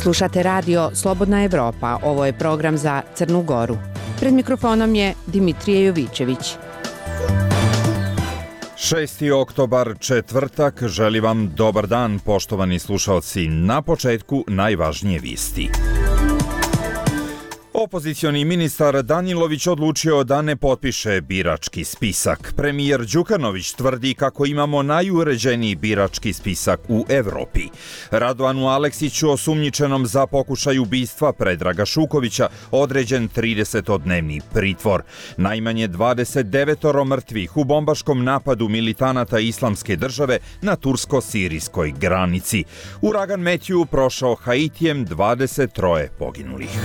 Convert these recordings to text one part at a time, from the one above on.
Slušate radio Slobodna Evropa, ovo je program za Crnu Goru. Pred mikrofonom je Dimitrije Jovićević. 6. oktobar, četvrtak, želi vam dobar dan, poštovani slušalci. Na početku najvažnije vijesti. Opozicioni ministar Danilović odlučio da ne potpiše birački spisak. Premijer Đukanović tvrdi kako imamo najuređeniji birački spisak u Evropi. Radovanu Aleksiću, osumnjičenom za pokušaj ubistva Predraga Šukovića, određen 30-dnevni pritvor. Najmanje 29 mrtvih u bombaškom napadu militanata Islamske države na tursko-sirijskoj granici. Uragan Metju prošao Haitijem, 23 poginulih.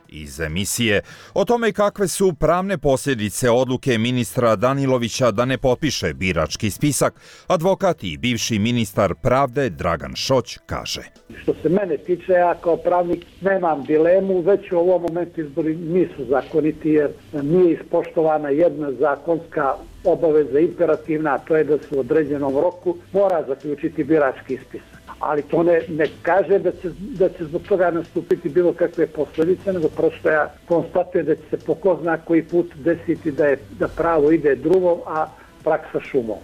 Iz emisije o tome kakve su pravne posljedice odluke ministra Danilovića da ne potpiše birački spisak, advokat i bivši ministar pravde Dragan Šoć kaže. Što se mene tiče, ja kao pravnik nemam dilemu, već u ovom momentu izbori nisu zakoniti jer nije ispoštovana jedna zakonska obaveza imperativna, a to je da se u određenom roku mora zaključiti birački spisak. Ali to ne kaže da će zbog toga nastupiti bilo kakve posljedice, nego prosto ja konstatujem da će se po ko zna koji put desiti da pravo ide drugom, a praksa šumom.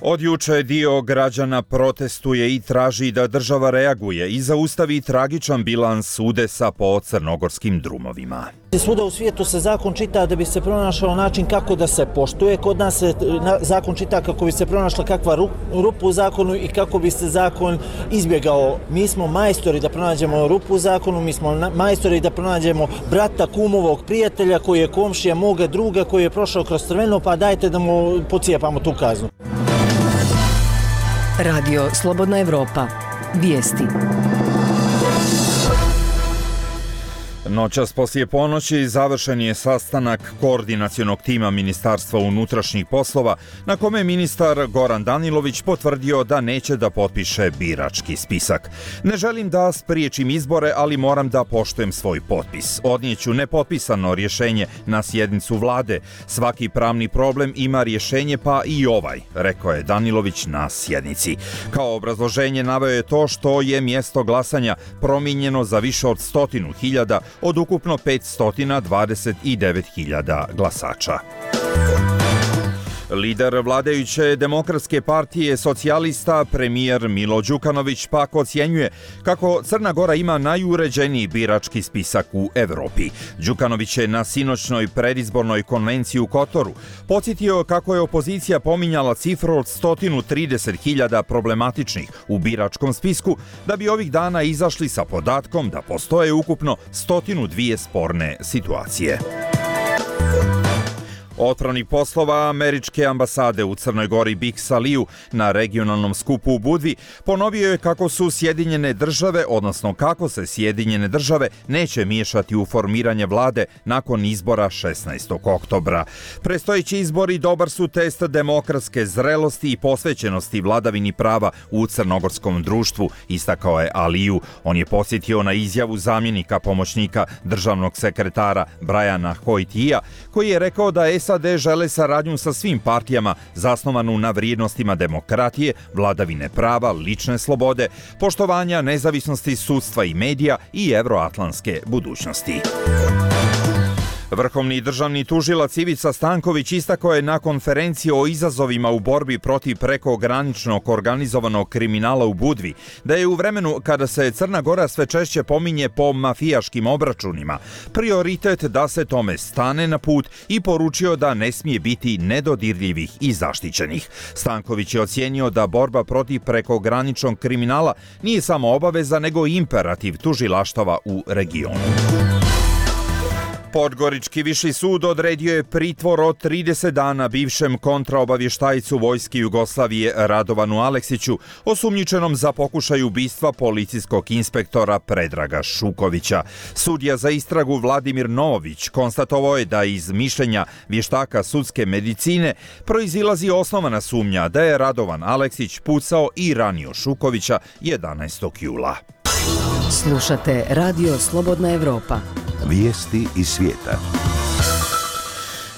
Od juče dio građana protestuje i traži da država reaguje i zaustavi tragičan bilans udesa po crnogorskim drumovima. Svuda u svijetu se zakon čita da bi se pronašao način kako da se poštuje. Kod nas se zakon čita kako bi se pronašla kakva rupa u zakonu i kako bi se zakon izbjegao. Mi smo majstori da pronađemo rupu u zakonu, mi smo majstori da pronađemo brata, kumovog, prijatelja koji je komšija moga druga koji je prošao kroz crveno, pa dajte da mu pocijepamo tu kaznu. Radio Slobodna Evropa. Vijesti. Noćas poslije ponoći završen je sastanak koordinacionog tima Ministarstva unutrašnjih poslova na kome ministar Goran Danilović potvrdio da neće da potpiše birački spisak. Ne želim da spriječim izbore, ali moram da poštujem svoj potpis. Odnijeću nepotpisano rješenje na sjednicu vlade. Svaki pravni problem ima rješenje, pa i ovaj, rekao je Danilović na sjednici. Kao obrazloženje naveo je to što je mjesto glasanja promijenjeno za više od 100.000 od ukupno 529.000 glasača. Lider vladajuće Demokratske partije socijalista, premijer Milo Đukanović, pak ocjenjuje kako Crna Gora ima najuređeniji birački spisak u Evropi. Đukanović je na sinoćnoj predizbornoj konvenciji u Kotoru podsjetio kako je opozicija pominjala cifru od 130.000 problematičnih u biračkom spisku, da bi ovih dana izašli sa podatkom da postoje ukupno 102 sporne situacije. Otpravnik poslova američke ambasade u Crnoj Gori Big Saliju na regionalnom skupu u Budvi ponovio je kako su Sjedinjene države, odnosno kako se Sjedinjene države neće miješati u formiranje vlade nakon izbora 16. oktobra. Predstojeći izbori dobar su test demokratske zrelosti i posvećenosti vladavini prava u crnogorskom društvu, istakao je Aliju. On je podsjetio na izjavu zamjenika pomoćnika državnog sekretara Briana Hoytija, koji je rekao da SAD žele saradnju sa svim partijama zasnovanu na vrijednostima demokratije, vladavine prava, lične slobode, poštovanja nezavisnosti sudstva i medija i evroatlantske budućnosti. Vrhovni državni tužilac Ivica Stanković istakao je na konferenciji o izazovima u borbi protiv prekograničnog organizovanog kriminala u Budvi da je u vremenu kada se Crna Gora sve češće pominje po mafijaškim obračunima prioritet da se tome stane na put i poručio da ne smije biti nedodirljivih i zaštićenih. Stanković je ocijenio da borba protiv prekograničnog kriminala nije samo obaveza nego i imperativ tužilaštava u regionu. Podgorički viši sud odredio je pritvor od 30 dana bivšem kontraobavještajcu vojske Jugoslavije Radovanu Aleksiću, osumnjičenom za pokušaj ubistva policijskog inspektora Predraga Šukovića. Sudija za istragu Vladimir Novović konstatovao je da iz mišljenja vještaka sudske medicine proizilazi osnovana sumnja da je Radovan Aleksić pucao i ranio Šukovića 11. jula. Slušate Radio Slobodna Evropa. Vijesti iz svijeta.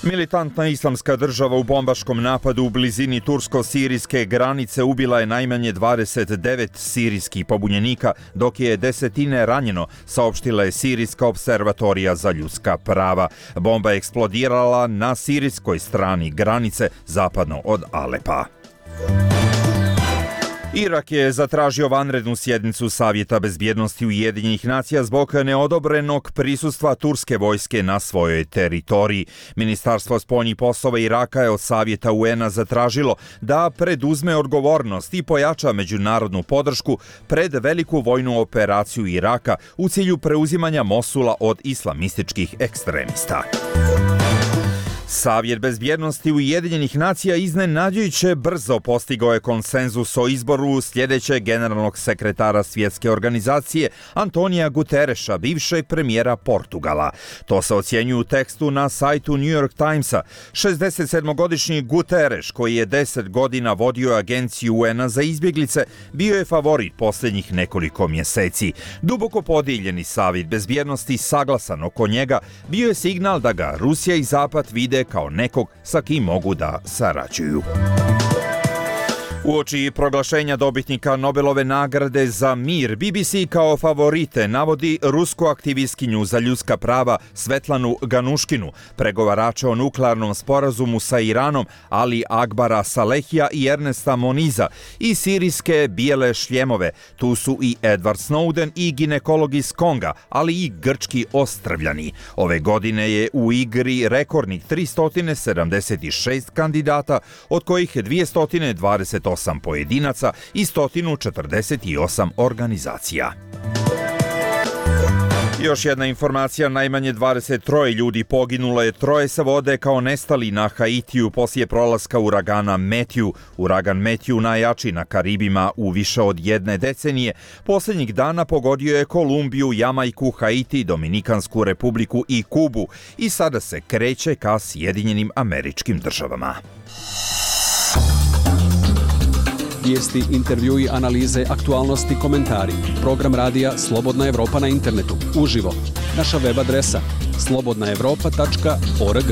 Militantna islamska država u bombaškom napadu u blizini tursko-sirijske granice ubila je najmanje 29 sirijskih pobunjenika, dok je desetine ranjeno, saopštila je Sirijska observatorija za ljudska prava. Bomba je eksplodirala na sirijskoj strani granice, zapadno od Alepa. Irak je zatražio vanrednu sjednicu Savjeta bezbjednosti Ujedinjenih nacija zbog neodobrenog prisustva turske vojske na svojoj teritoriji. Ministarstvo spoljnih poslova Iraka je od Savjeta UN-a zatražilo da preduzme odgovornost i pojača međunarodnu podršku pred veliku vojnu operaciju Iraka u cilju preuzimanja Mosula od islamističkih ekstremista. Savjet bezbjednosti Ujedinjenih nacija iznenađujuće brzo postigao je konsenzus o izboru sljedećeg generalnog sekretara svjetske organizacije Antonija Gutereša, bivšeg premijera Portugala. To se ocjenjuje u tekstu na sajtu New York Timesa. 67-godišnji Guterres, koji je 10 godina vodio agenciju UN-a za izbjeglice, bio je favorit posljednjih nekoliko mjeseci. Duboko podijeljeni Savjet bezbjednosti, saglasan oko njega, bio je signal da ga Rusija i Zapad vide kao nekog sa kim mogu da sarađuju. Uoči proglašenja dobitnika Nobelove nagrade za mir, BBC kao favorite navodi rusku aktivistkinju za ljudska prava Svetlanu Ganuškinu, pregovarača o nuklearnom sporazumu sa Iranom Ali Akbara Salehija i Ernesta Moniza, i sirijske bijele šljemove. Tu su i Edward Snowden i ginekolog iz Konga, ali i grčki ostrvljani. Ove godine je u igri rekordnih 376 kandidata, od kojih 228 pojedinaca i 148 organizacija. Još jedna informacija, najmanje 23 ljudi poginulo je, 3 se vode kao nestali na Haitiju poslije prolaska uragana Matthew. Uragan Matthew, najjači na Karibima u više od jedne decenije, posljednjih dana pogodio je Kolumbiju, Jamajku, Haiti, Dominikansku republiku i Kubu i sada se kreće ka Sjedinjenim Američkim Državama. Vijesti, intervjui, analize, aktualnosti, komentari. Program radija Slobodna Evropa na internetu. Uživo. Naša web adresa slobodnaevropa.org.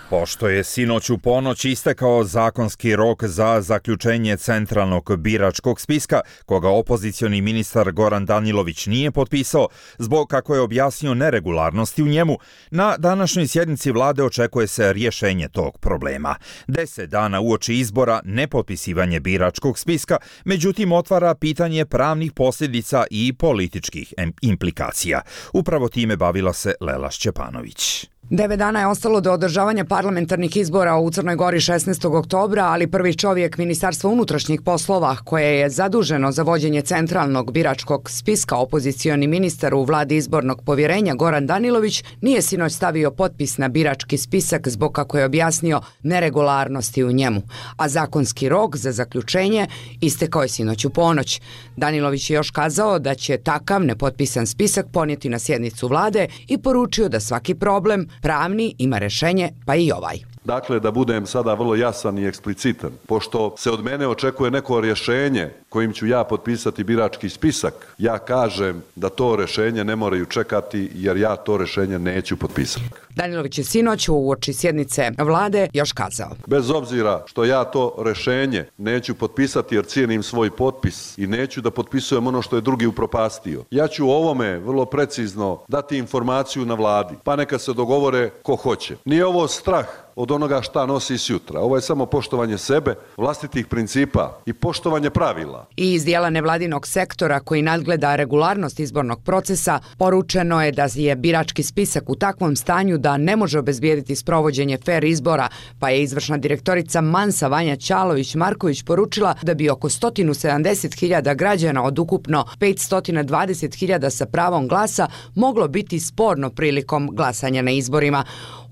Pošto je sinoć u ponoć istekao zakonski rok za zaključenje centralnog biračkog spiska, koga opozicioni ministar Goran Danilović nije potpisao, zbog, kako je objasnio, neregularnosti u njemu, na današnjoj sjednici vlade očekuje se rješenje tog problema. 10 dana uoči izbora nepotpisivanje biračkog spiska, međutim otvara pitanje pravnih posljedica i političkih implikacija. Upravo time bavila se Lela Šćepanović. 9 dana je ostalo do održavanja parlamentarnih izbora u Crnoj Gori 16. oktobra, ali prvi čovjek Ministarstva unutrašnjih poslova, koje je zaduženo za vođenje centralnog biračkog spiska, opozicioni ministar u vladi izbornog povjerenja Goran Danilović, nije sinoć stavio potpis na birački spisak zbog, kako je objasnio, neregularnosti u njemu, a zakonski rok za zaključenje istekao je sinoć u ponoć. Danilović je još kazao da će takav nepotpisan spisak ponijeti na sjednicu vlade i poručio da svaki problem pravni ima rješenje, pa i ovaj. Dakle, da budem sada vrlo jasan i eksplicitan, pošto se od mene očekuje neko rješenje kojim ću ja potpisati birački spisak, ja kažem da to rješenje ne moraju čekati jer ja to rješenje neću potpisati. Danilović je sinoć uoči sjednice vlade još kazao: bez obzira što ja to rješenje neću potpisati jer cijenim svoj potpis i neću da potpisujem ono što je drugi upropastio, ja ću o ovome vrlo precizno dati informaciju na vladi, pa neka se dogovore ko hoće. Nije ovo strah od onoga šta nosi sutra. Ovo je samo poštovanje sebe, vlastitih principa i poštovanje pravila. I iz dijela nevladinog sektora koji nadgleda regularnost izbornog procesa, poručeno je da je birački spisak u takvom stanju da ne može obezbijediti sprovođenje fer izbora, pa je izvršna direktorica Mansa Vanja Ćalović-Marković poručila da bi oko 170.000 građana od ukupno 520.000 sa pravom glasa moglo biti sporno prilikom glasanja na izborima.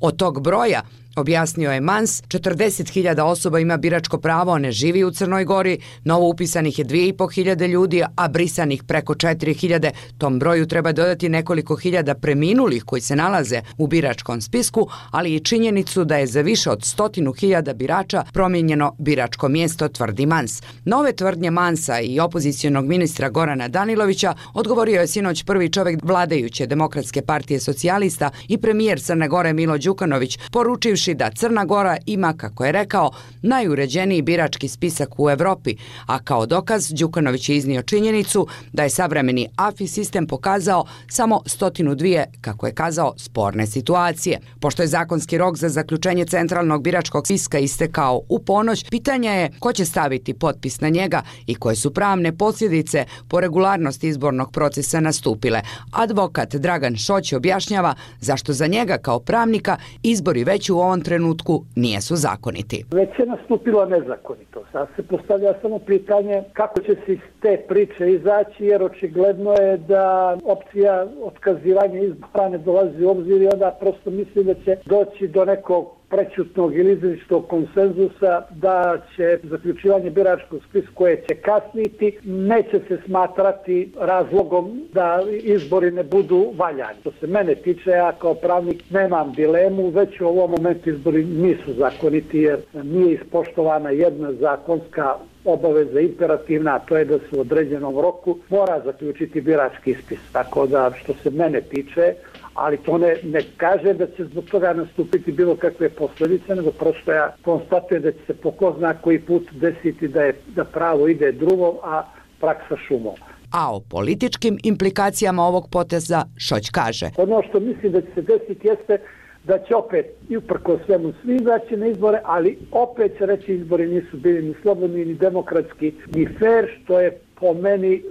Od tog broja Objasnio je Mans, 40.000 osoba ima biračko pravo, ne živi u Crnoj Gori, novo upisanih je 2.500 ljudi, a brisanih preko 4.000. Tom broju treba dodati nekoliko hiljada preminulih koji se nalaze u biračkom spisku, ali i činjenicu da je za više od 100.000 birača promijenjeno biračko mjesto, tvrdi Mans. Na ove tvrdnje Mansa i opozicionog ministra Gorana Danilovića odgovorio je sinoć prvi čovjek vladajuće Demokratske partije socijalista i premijer Crne Gore Milo Đukanović, poručivši da Crna Gora ima, kako je rekao, najuređeniji birački spisak u Evropi, a kao dokaz Đukanović je iznio činjenicu da je savremeni AFI sistem pokazao samo 102, kako je kazao, sporne situacije. Pošto je zakonski rok za zaključenje centralnog biračkog spiska istekao u ponoć, pitanje je ko će staviti potpis na njega i koje su pravne posljedice po regularnosti izbornog procesa nastupile. Advokat Dragan Šoć objašnjava zašto za njega kao pravnika izbori već u ovom trenutku nisu zakoniti. Već je nastupilo nezakonito. Sad se postavlja samo pitanje kako će se iz te priče izaći, jer očigledno je da opcija otkazivanja izbora ne dolazi u obzir i onda prosto mislim da će doći do nekog prećutnog ili izričitog konsenzusa da će zaključivanje biračkog spiska koje će kasniti neće se smatrati razlogom da izbori ne budu valjani. Što se mene tiče, ja kao pravnik nemam dilemu, već u ovom momentu izbori nisu zakoniti jer nije ispoštovana jedna zakonska obaveza imperativna, a to je da se u određenom roku mora zaključiti birački spis. Tako da što se mene tiče, ali to ne kaže da će zbog toga nastupiti bilo kakve posljedice, nego prosto ja konstatujem da će se po ko zna koji put desiti da pravo ide drumom, a praksa šumom. A o političkim implikacijama ovog poteza Šoć kaže. Ono što mislim da će se desiti jeste da će opet i uprko svemu svi izaći na izbore, ali opet će reći izbori nisu bili ni slobodni, ni demokratski, ni fair, što je po meni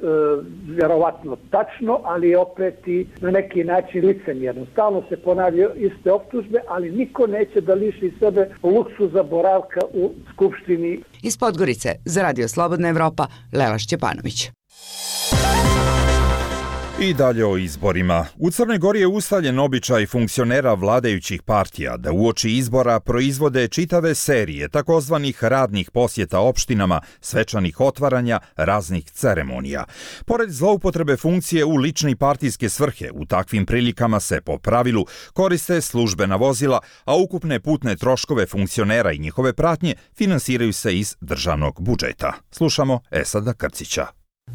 vjerovatno tačno, ali opet i na neki način licemjerno. Stalno se ponavljaju iste optužbe, ali niko neće da liši sebe luksuza boravka u Skupštini. Iz Podgorice za Radio Slobodna Evropa, Lela Šćepanović. I dalje o izborima. U Crnoj Gori je ustaljen običaj funkcionera vladajućih partija da uoči izbora proizvode čitave serije takozvanih radnih posjeta opštinama, svečanih otvaranja, raznih ceremonija. Pored zloupotrebe funkcije u lične i partijske svrhe, u takvim prilikama se po pravilu koriste službena vozila, a ukupne putne troškove funkcionera i njihove pratnje finansiraju se iz državnog budžeta. Slušamo Esada Krcića.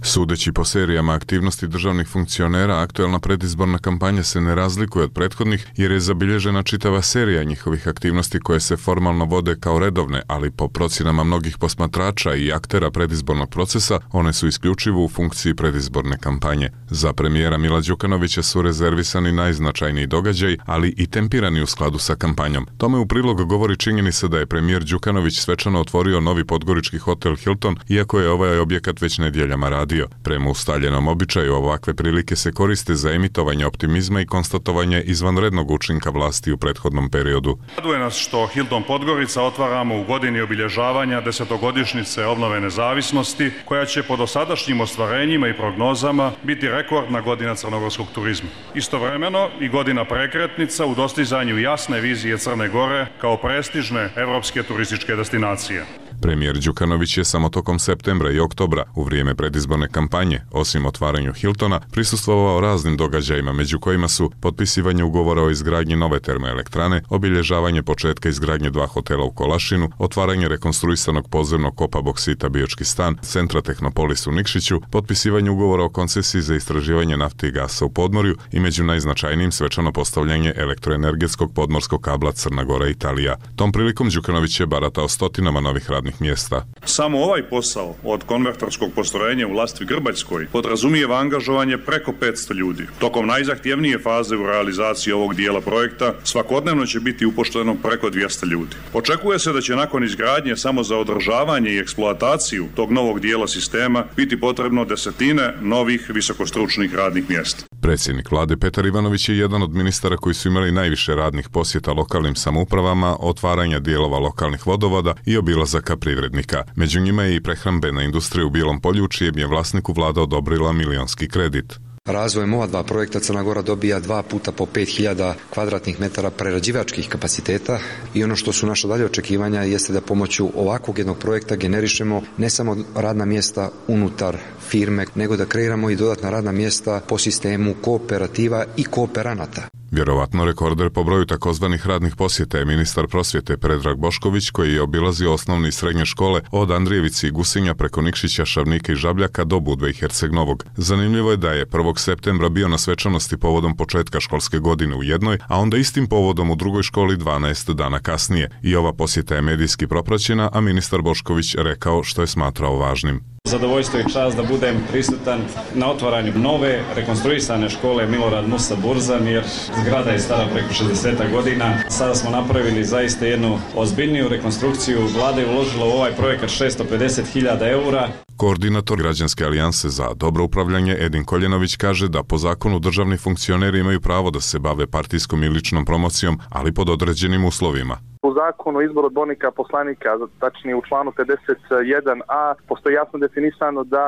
Sudeći po serijama aktivnosti državnih funkcionera, aktuelna predizborna kampanja se ne razlikuje od prethodnih jer je zabilježena čitava serija njihovih aktivnosti koje se formalno vode kao redovne, ali po procjenama mnogih posmatrača i aktera predizbornog procesa, one su isključivo u funkciji predizborne kampanje. Za premijera Mila Đukanovića su rezervisani najznačajniji događaj, ali i tempirani u skladu sa kampanjom. Tome u prilog govori činjenica da je premijer Đukanović svečano otvorio novi podgorički hotel Hilton, iako je ovaj objekat već nedjeljama radio. Prema ustaljenom običaju, ovakve prilike se koriste za emitovanje optimizma i konstatovanje izvanrednog učinka vlasti u prethodnom periodu. Raduje nas što Hilton Podgorica otvaramo u godini obilježavanja 10-godišnjice obnove nezavisnosti, koja će po dosadašnjim ostvarenjima i prognozama biti rekordna godina crnogorskog turizma. Istovremeno i godina prekretnica u dostizanju jasne vizije Crne Gore kao prestižne evropske turističke destinacije. Premijer Đukanović je samo tokom septembra i oktobra, u vrijeme predizborne kampanje, osim otvaranju Hiltona, prisustvovao raznim događajima, među kojima su potpisivanje ugovora o izgradnji nove termoelektrane, obilježavanje početka izgradnje 2 hotela u Kolašinu, otvaranje rekonstruisanog podzemnog kopa boksita Biočki stan, centra Tehnopolis u Nikšiću, potpisivanje ugovora o koncesiji za istraživanje nafte i gasa u Podmorju i među najznačajnijim svečano postavljanje elektroenergetskog podmorskog kabla Crna Gora i Italija. Tom prilikom Đukanović je baratao stotinama novih radnih mjesta. Samo ovaj posao od konvertorskog postrojenja u Lastvi Grbaljskoj podrazumijeva angažovanje preko 500 ljudi. Tokom najzahtjevnije faze u realizaciji ovog dijela projekta svakodnevno će biti upošteno preko 200 ljudi. Očekuje se da će nakon izgradnje samo za održavanje i eksploataciju tog novog dijela sistema biti potrebno desetine novih visokostručnih radnih mjesta. Predsjednik vlade Petar Ivanović je jedan od ministara koji su imali najviše radnih posjeta lokalnim samoupravama, otvaranja dijelova lokalnih vodovoda i obilazaka privrednika. Među njima je i prehrambena industrija u Bijelom Polju, čijem je vlasniku vlada odobrila milionski kredit. Razvojem ova dva projekta Crna Gora dobija 2 puta po 5000 kvadratnih metara prerađivačkih kapaciteta i ono što su naša dalje očekivanja jeste da pomoću ovakvog jednog projekta generišemo ne samo radna mjesta unutar firme, nego da kreiramo i dodatna radna mjesta po sistemu kooperativa i kooperanata. Vjerovatno rekorder po broju takozvanih radnih posjeta je ministar prosvjete Predrag Bošković, koji je obilazio osnovne i srednje škole od Andrijevici i Gusinja preko Nikšića, Šavnika i Žabljaka do Budve i Herceg-Novog. Zanimljivo je da je 1. septembra bio na svečanosti povodom početka školske godine u jednoj, a onda istim povodom u drugoj školi 12 dana kasnije. I ova posjeta je medijski propraćena, a ministar Bošković rekao što je smatrao važnim. Zadovoljstvo i čast da budem prisutan na otvaranju nove rekonstruisane škole Milorad Musa Burzan, jer zgrada je stara preko 60 godina. Sada smo napravili zaista jednu ozbiljniju rekonstrukciju. Vlada je uložila u ovaj projekat 650.000 eura. Koordinator Građanske alijanse za dobro upravljanje Edin Koljenović kaže da po zakonu državni funkcioneri imaju pravo da se bave partijskom i ličnom promocijom, ali pod određenim uslovima. U zakonu o izboru odbornika poslanika, tačnije u članu 51a, postoji jasno definisano da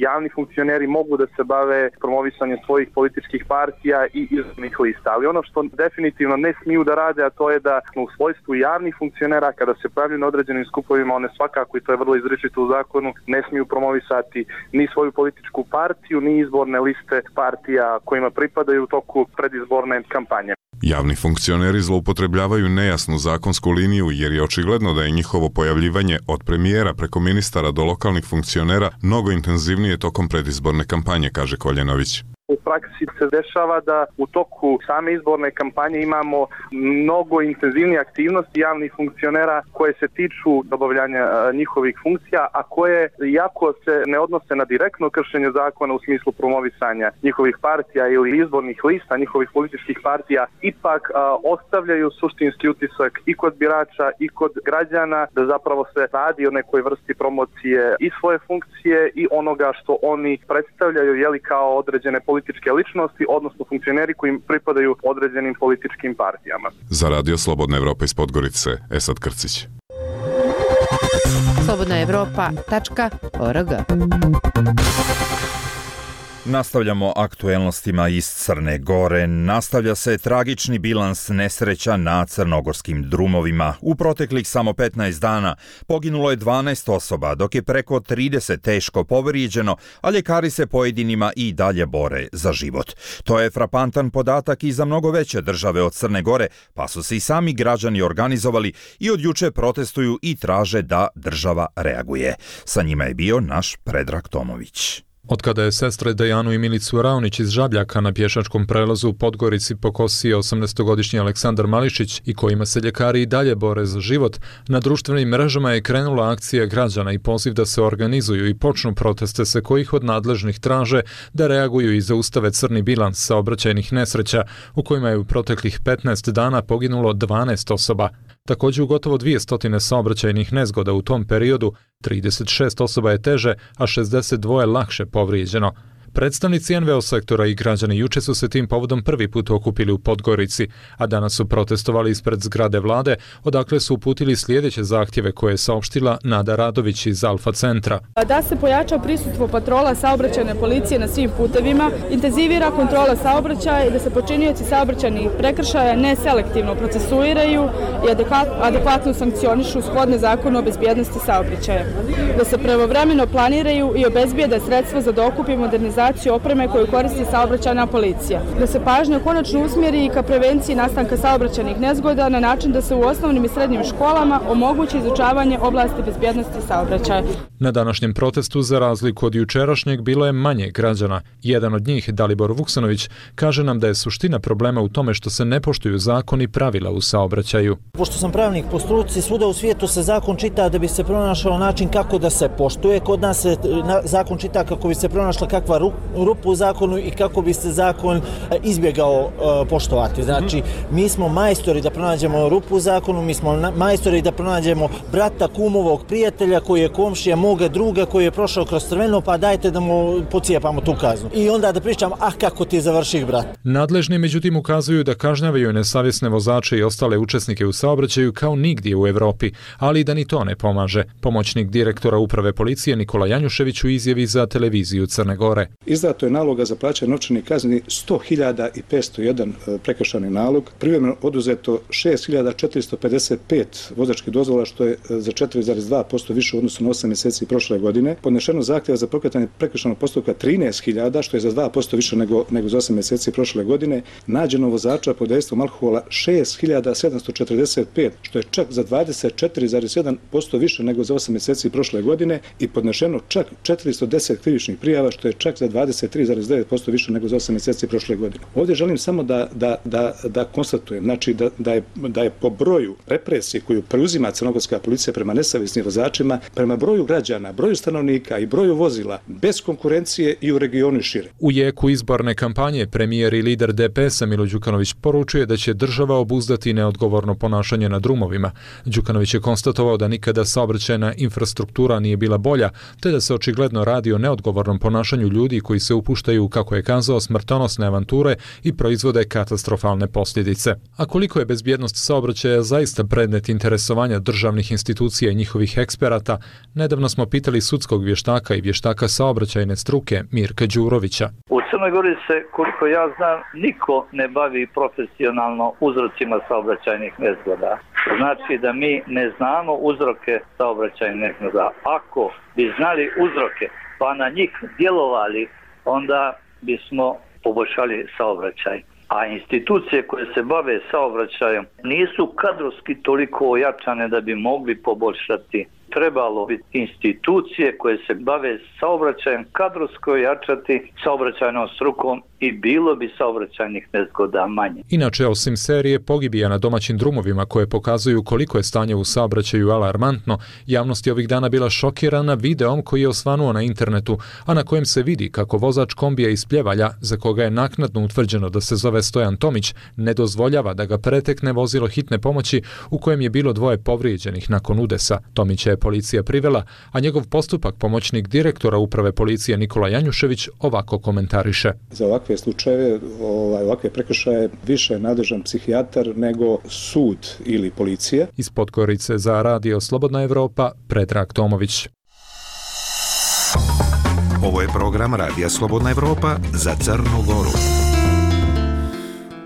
javni funkcioneri mogu da se bave promovisanjem svojih političkih partija i izbornih lista. Ali ono što definitivno ne smiju da rade, a to je da u svojstvu javnih funkcionera, kada se pojavljuju na određenim skupovima, one svakako, i to je vrlo izričito u zakonu, ne smiju promovisati ni svoju političku partiju, ni izborne liste partija kojima pripadaju u toku predizborne kampanje. Javni funkcioneri zloupotrebljavaju nejasnu zakonsku liniju jer je očigledno da je njihovo pojavljivanje od premijera preko ministara do lokalnih funkcionera mnogo intenzivnije tokom predizborne kampanje, kaže Koljenović. U praksi se dešava da u toku same izborne kampanje imamo mnogo intenzivnije aktivnosti javnih funkcionera koje se tiču obavljanja njihovih funkcija, a koje, iako se ne odnose na direktno kršenje zakona u smislu promovisanja njihovih partija ili izbornih lista njihovih političkih partija, ipak ostavljaju suštinski utisak i kod birača i kod građana da zapravo se radi o nekoj vrsti promocije i svoje funkcije i onoga što oni predstavljaju kao određene političke ličnosti, odnosno funkcioneri koji pripadaju određenim političkim partijama. Za Radio Slobodna Evropa iz Podgorice, Esad Krcić. slobodnaevropa.org. Nastavljamo aktuelnostima iz Crne Gore. Nastavlja se tragični bilans nesreća na crnogorskim drumovima. U proteklih samo 15 dana poginulo je 12 osoba, dok je preko 30 teško povrijeđeno, a ljekari se pojedinima i dalje bore za život. To je frapantan podatak i za mnogo veće države od Crne Gore, pa su se i sami građani organizovali i od juče protestuju i traže da država reaguje. Sa njima je bio naš Predrag Tomović. Otkada je sestre Dejanu i Milicu Raonić iz Žabljaka na pješačkom prelazu u Podgorici pokosio 18-godišnji Aleksandar Mališić i kojima se ljekari i dalje bore za život, na društvenim mrežama je krenula akcija građana i poziv da se organizuju i počnu proteste se kojih od nadležnih traže da reaguju i zaustave crni bilans saobraćajnih nesreća u kojima je u proteklih 15 dana poginulo 12 osoba. Također u gotovo 200 saobraćajnih nezgoda u tom periodu, 36 osoba je teže, a 62 lakše povrijeđeno. Predstavnici NVO sektora i građani juče su se tim povodom prvi put okupili u Podgorici, a danas su protestovali ispred zgrade vlade, odakle su uputili sljedeće zahtjeve koje je saopštila Nada Radović iz Alfa centra. Da se pojača prisustvo patrola saobraćajne policije na svim putevima, intenzivira kontrola saobraćaja i da se počinioci saobraćajnih prekršaja neselektivno procesuiraju i adekvatno sankcionišu shodno zakonu o bezbjednosti saobraćaja. Da se pravovremeno planiraju i obezbijede sredstva za dokup i modernizaciju opreme koju koristi saobraćajna policija. Da se pažnja konačno usmjeri i ka prevenciji nastanka saobraćajnih nezgoda na način da se u osnovnim i srednjim školama omogući izučavanje oblasti bezbjednosti saobraćaja. Na današnjem protestu, za razliku od jučerašnjeg, bilo je manje građana. Jedan od njih, Dalibor Vuksanović, kaže nam da je suština problema u tome što se ne poštuju zakoni i pravila u saobraćaju. Pošto sam pravnik po struci, svuda u svijetu se zakon čita da bi se pronašao način kako da se poštuje. Kod nas se zakon čita kako bi se pronašla kakva rupu u zakonu i kako bi se zakon izbjegao poštovati. Znači, mi smo majstori da pronađemo rupu u zakonu, mi smo majstori da pronađemo brata, kumovog, prijatelja koji je komšija moga druga koji je prošao kroz crveno, pa dajte da mu pocijepamo tu kaznu. I onda da pričam, kako ti završih, brat. Nadležni međutim ukazuju da kažnjavaju nesavjesne vozače i ostale učesnike u saobraćaju kao nigdje u Evropi, ali da ni to ne pomaže. Pomoćnik direktora uprave policije Nikola Janjušević u izjavi za televiziju Crne Gore. izdato je naloga za plaćanje novčanih kazni 100.501 prekršajni nalog, privremeno oduzeto 6.455 vozačkih dozvola, što je za 4,2% više u odnosu na 8 mjeseci prošle godine. Podnešeno zahtjeva za pokretanje prekršajnog postupka 13.000, što je za 2% više nego za 8 mjeseci prošle godine. Nađeno vozača pod dejstvom alkohola 6.745, što je čak za 24,1% više nego za 8 mjeseci prošle godine i podnešeno čak 410 krivičnih prijava, što je čak za 23,9% više nego za 8 mjeseci prošle godine. Ovdje želim samo da konstatujem, znači da je po broju represije koju preuzima crnogorska policija prema nesavjesnim vozačima, prema broju građana, broju stanovnika i broju vozila, bez konkurencije i u regionu i šire. U jeku izborne kampanje premijer i lider DPS-a Milo Đukanović poručuje da će država obuzdati neodgovorno ponašanje na drumovima. Đukanović je konstatovao da nikada saobraćajna infrastruktura nije bila bolja, te da se očigledno radi o neodgovornom ponašanju ljudi koji se upuštaju, kako je kazao, smrtonosne avanture i proizvode katastrofalne posljedice. A koliko je bezbjednost saobraćaja zaista predmet interesovanja državnih institucija i njihovih eksperata, nedavno smo pitali sudskog vještaka i vještaka saobraćajne struke Mirka Đurovića. U Crnoj Gori se, koliko ja znam, niko ne bavi profesionalno uzrocima saobraćajnih nezgoda. Znači da mi ne znamo uzroke saobraćajnih nezgoda. Ako bi znali uzroke pa na njih djelovali, onda bismo poboljšali saobraćaj. A institucije koje se bave saobraćajem nisu kadrovski toliko ojačane da bi mogli poboljšati. Trebalo bi institucije koje se bave saobraćajem kadrovsko ojačati saobraćajnom strukom i bilo bi saobraćajnih nezgoda manje. Inače, osim serije pogibija na domaćim drumovima koje pokazuju koliko je stanje u saobraćaju alarmantno, javnost je ovih dana bila šokirana videom koji je osvanuo na internetu, a na kojem se vidi kako vozač kombija iz Pljevalja, za koga je naknadno utvrđeno da se zove Stojan Tomić, ne dozvoljava da ga pretekne vozilo hitne pomoći u kojem je bilo 2 povrijeđenih nakon udesa. Tomića je policija privela, a njegov postupak pomoćnik direktora uprave policije Nikola Janjušević ovako komentariše. Za ovakve slučajeve, ovakve prekršaje više je nadležan psihijatar nego sud ili policija. Iz Podgorice za Radio Slobodna Evropa, Predrag Tomović. Ovo je program Radija Slobodna Evropa za Crnu Goru.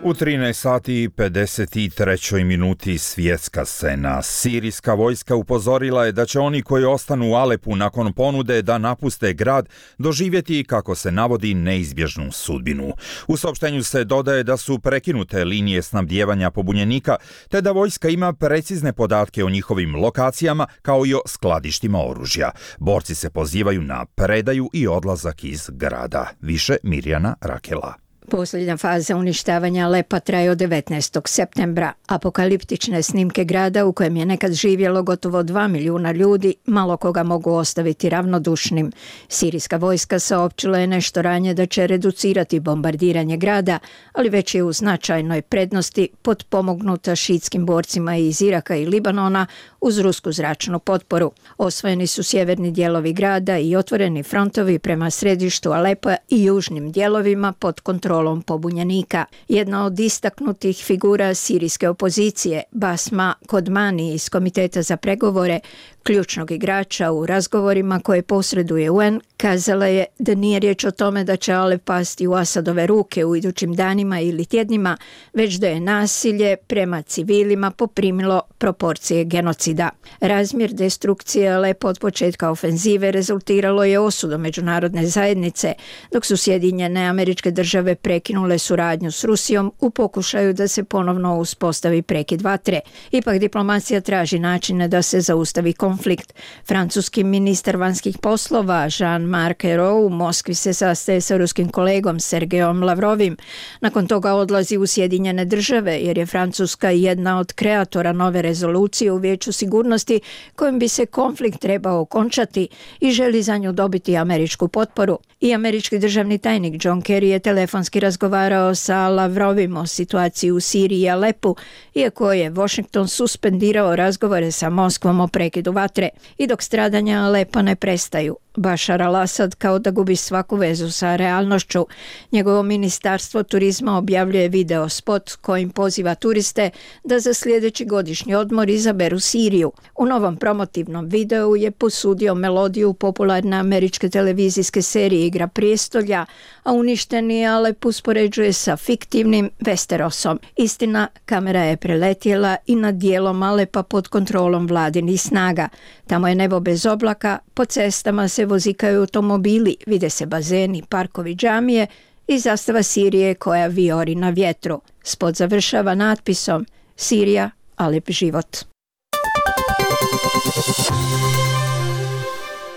U 13 sati i 53 minuti svjetska scena. Sirijska vojska upozorila je da će oni koji ostanu u Alepu nakon ponude da napuste grad doživjeti, kako se navodi, neizbježnu sudbinu. U saopštenju se dodaje da su prekinute linije snabdijevanja pobunjenika, te da vojska ima precizne podatke o njihovim lokacijama kao i o skladištima oružja. Borci se pozivaju na predaju i odlazak iz grada. Više Mirjana Rakela. Posljednja faza uništavanja Alepa traje od 19. septembra. Apokaliptične snimke grada u kojem je nekad živjelo gotovo 2 milijuna ljudi malo koga mogu ostaviti ravnodušnim. Sirijska vojska saopćila je nešto ranije da će reducirati bombardiranje grada, ali već je u značajnoj prednosti potpomognuta šiitskim borcima iz Iraka i Libanona uz rusku zračnu potporu. Osvojeni su sjeverni dijelovi grada i otvoreni frontovi prema središtu Alepa i južnim dijelovima pod kontrolom pobunjenika. Jedna od istaknutih figura sirijske opozicije, Basma Kodmani iz Komiteta za pregovore, ključnog igrača u razgovorima koje posreduje UN, kazala je da nije riječ o tome da će Alep pasti u Asadove ruke u idućim danima ili tjednima, već da je nasilje prema civilima poprimilo proporcije genocida. Razmjer destrukcije Alepa od početka ofenzive rezultiralo je osudom međunarodne zajednice, dok su Sjedinjene Američke Države prekinule suradnju s Rusijom u pokušaju da se ponovno uspostavi prekid vatre. Ipak diplomacija traži načine da se zaustavi konflikt. Francuski ministar vanjskih poslova Jean-Marc Ayrault u Moskvi se sastaje sa ruskim kolegom Sergejom Lavrovim. Nakon toga odlazi u Sjedinjene Države jer je Francuska jedna od kreatora nove rezolucije u Vijeću sigurnosti kojim bi se konflikt trebao okončati i želi za nju dobiti američku potporu. I američki državni tajnik John Kerry je telefonski razgovarao sa Lavrovim o situaciji u Siriji i Alepu, iako je Washington suspendirao razgovore sa Moskvom o prekidu vatre. I dok stradanja Alepa ne prestaju, Bašar al-Asad kao da gubi svaku vezu sa realnošću. Njegovo ministarstvo turizma objavljuje video spot kojim poziva turiste da za sljedeći godišnji odmor izaberu Siriju. U novom promotivnom videu je posudio melodiju popularne američke televizijske serije Igra prijestolja, a uništeni Alep uspoređuje sa fiktivnim Westerosom. Istina, kamera je preletjela i nad dijelom Alepa pod kontrolom vladinih snaga. Tamo je nebo bez oblaka, po cestama se vozikaju automobili, vide se bazeni, parkovi, džamije i zastava Sirije koja vijori na vjetru. Spot završava natpisom Sirija, Alep život.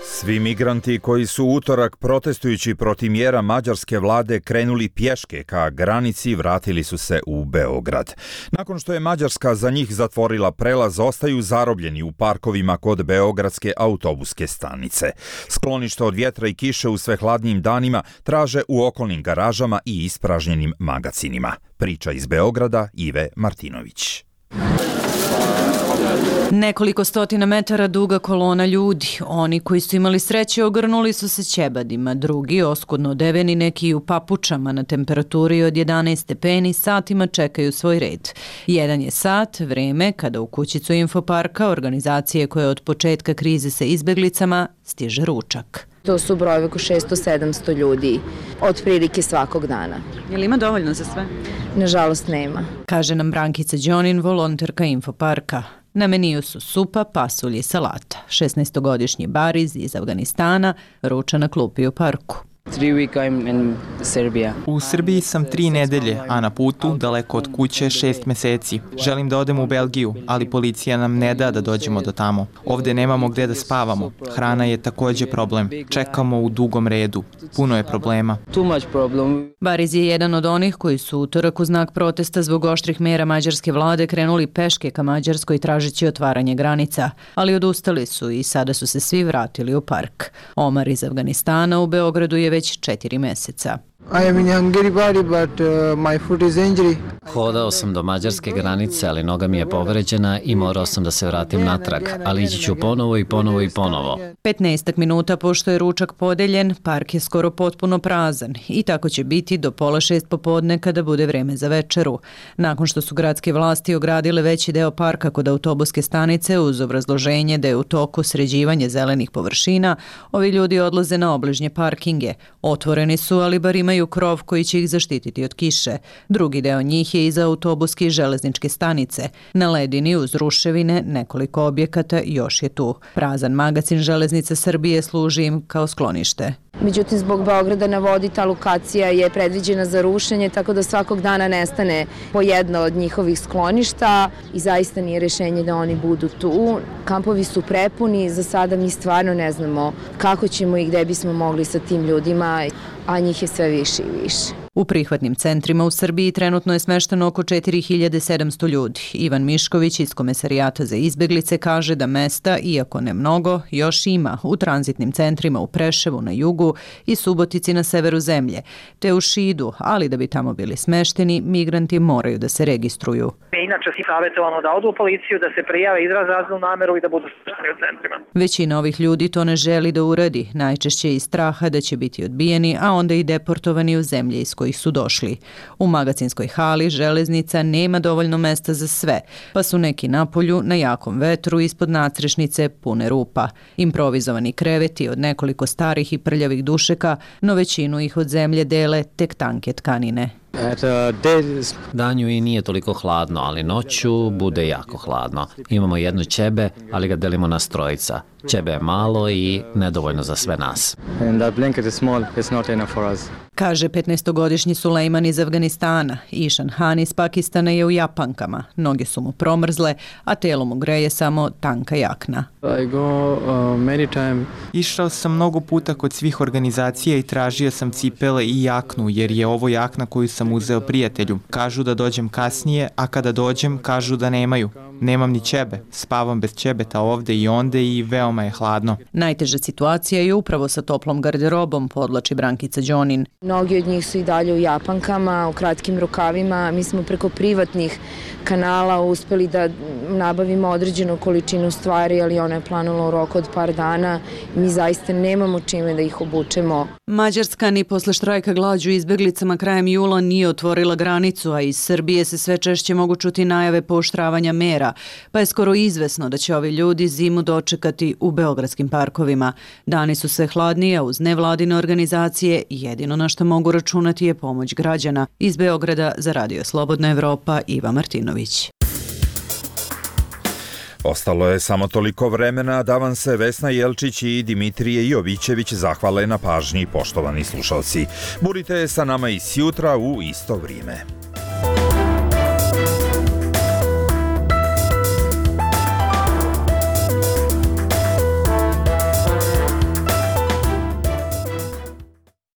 Svi migranti koji su utorak protestujući protiv mjera mađarske vlade krenuli pješke ka granici vratili su se u Beograd. Nakon što je Mađarska za njih zatvorila prelaz, ostaju zarobljeni u parkovima kod beogradske autobuske stanice. Sklonište od vjetra i kiše u sve hladnijim danima traže u okolnim garažama i ispražnjenim magacinima. Priča iz Beograda, Ive Martinović. Nekoliko stotina metara duga kolona ljudi. Oni koji su imali sreće ogrnuli su se ćebadima, drugi oskudno odeveni, neki u papučama na temperaturi od 11 stepeni satima čekaju svoj red. Jedan je sat, vreme kada u kućicu Infoparka, organizacije koje od početka krize sa izbeglicama, stiže ručak. To su brojevi oko 600-700 ljudi, otprilike svakog dana. Je li ima dovoljno za sve? Nažalost nema. Kaže nam Brankica Đonin, volonterka Infoparka. Na meniju su supa, pasulj i salata. 16-godišnji Bariz iz Afganistana ruča na klupi u parku. U Srbiji sam 3 nedelje, a na putu, daleko od kuće, 6 meseci. Želim da odem u Belgiju, ali policija nam ne da dođemo do tamo. Ovde nemamo gde da spavamo. Hrana je takođe problem. Čekamo u dugom redu. Puno je problema. Bariz je jedan od onih koji su utorak u znak protesta zbog oštrih mera mađarske vlade krenuli peške ka Mađarskoj tražeći otvaranje granica, ali odustali su i sada su se svi vratili u park. Omar iz Afganistana u Beogradu je već 4 meseca. Hodao sam do mađarske granice, ali noga mi je povređena i morao sam da se vratim natrag, ali ići ću ponovo i ponovo i ponovo. 15 minuta pošto je ručak podeljen, park je skoro potpuno prazan i tako će biti do 5:30 popodne kada bude vreme za večeru. Nakon što su gradske vlasti ogradile veći deo parka kod autobuske stanice uz obrazloženje da je u toku sređivanje zelenih površina, ovi ljudi odlaze na obližnje parkinge. Otvoreni su, ali bar imaju krov koji će ih zaštititi od kiše. Drugi deo njih je iza autobuske i železničke stanice. Na ledini uz ruševine nekoliko objekata još je tu. Prazan magacin Železnice Srbije služi im kao sklonište. Međutim, zbog Beograda na vodi ta lokacija je predviđena za rušenje, tako da svakog dana nestane po jedno od njihovih skloništa i zaista nije rešenje da oni budu tu. Kampovi su prepuni, za sada mi stvarno ne znamo kako ćemo i gde bismo mogli sa tim ljudima, a njih je sve više i više. U prihvatnim centrima u Srbiji trenutno je smešteno oko 4700 ljudi. Ivan Mišković iz Komesarijata za izbeglice kaže da mesta, iako ne mnogo, još ima u tranzitnim centrima u Preševu na jugu i Subotici na severu zemlje, te u Šidu, ali da bi tamo bili smešteni, migranti moraju da se registruju. Inače si savjetovano da odu u policiju, da se prijave, izraze azilnu nameru i da budu smešteni u centrima. Većina ovih ljudi to ne želi da uradi, najčešće iz straha da će biti odbijeni, a onda i deportovani u zemlje iz kojih su došli. U magacinskoj hali železnica nema dovoljno mesta za sve, pa su neki napolju na jakom vetru ispod nadstrešnice pune rupa. Improvizovani kreveti od nekoliko starih i prljavih dušeka, no većinu ih od zemlje dele tek tanke tkanine. Danju i nije toliko hladno, ali noću bude jako hladno. Imamo jedno ćebe, ali ga delimo na trojica. Ćebe je malo i nedovoljno za sve nas. Kaže 15-godišnji Sulejman iz Afganistana. Išan Han iz Pakistana je u japankama. Noge su mu promrzle, a telo mu greje samo tanka jakna. Išao sam mnogo puta kod svih organizacija i tražio sam cipele i jaknu, jer je ovo jakna koju sam uzeo prijatelju. Kažu da dođem kasnije, a kada dođem kažu da nemaju. Nemam ni ćebe, spavam bez ćebeta ovde i onde i veoma je hladno. Najteža situacija je upravo sa toplom garderobom, podlači Brankica Đonin. Mnogi od njih su i dalje u japankama, u kratkim rukavima. Mi smo preko privatnih kanala uspeli da nabavimo određenu količinu stvari, ali ona je planula u roku od par dana. Mi zaista nemamo čime da ih obučemo. Mađarska ni posle štrajka glađu izbeglicama krajem jula nije otvorila granicu, a iz Srbije se sve češće mogu čuti najave pooštravanja mera, pa je skoro izvesno da će ovi ljudi zimu dočekati u beogradskim parkovima. Dani su sve hladnije uz nevladine organizacije i jedino na što mogu računati je pomoć građana. Iz Beograda za Radio Slobodna Evropa, Iva Martinović. Ostalo je samo toliko vremena da vam se Vesna Jelčić i Dimitrije Jovićević zahvale na pažnji, poštovani slušalci. Budite sa nama i sjutra u isto vrijeme.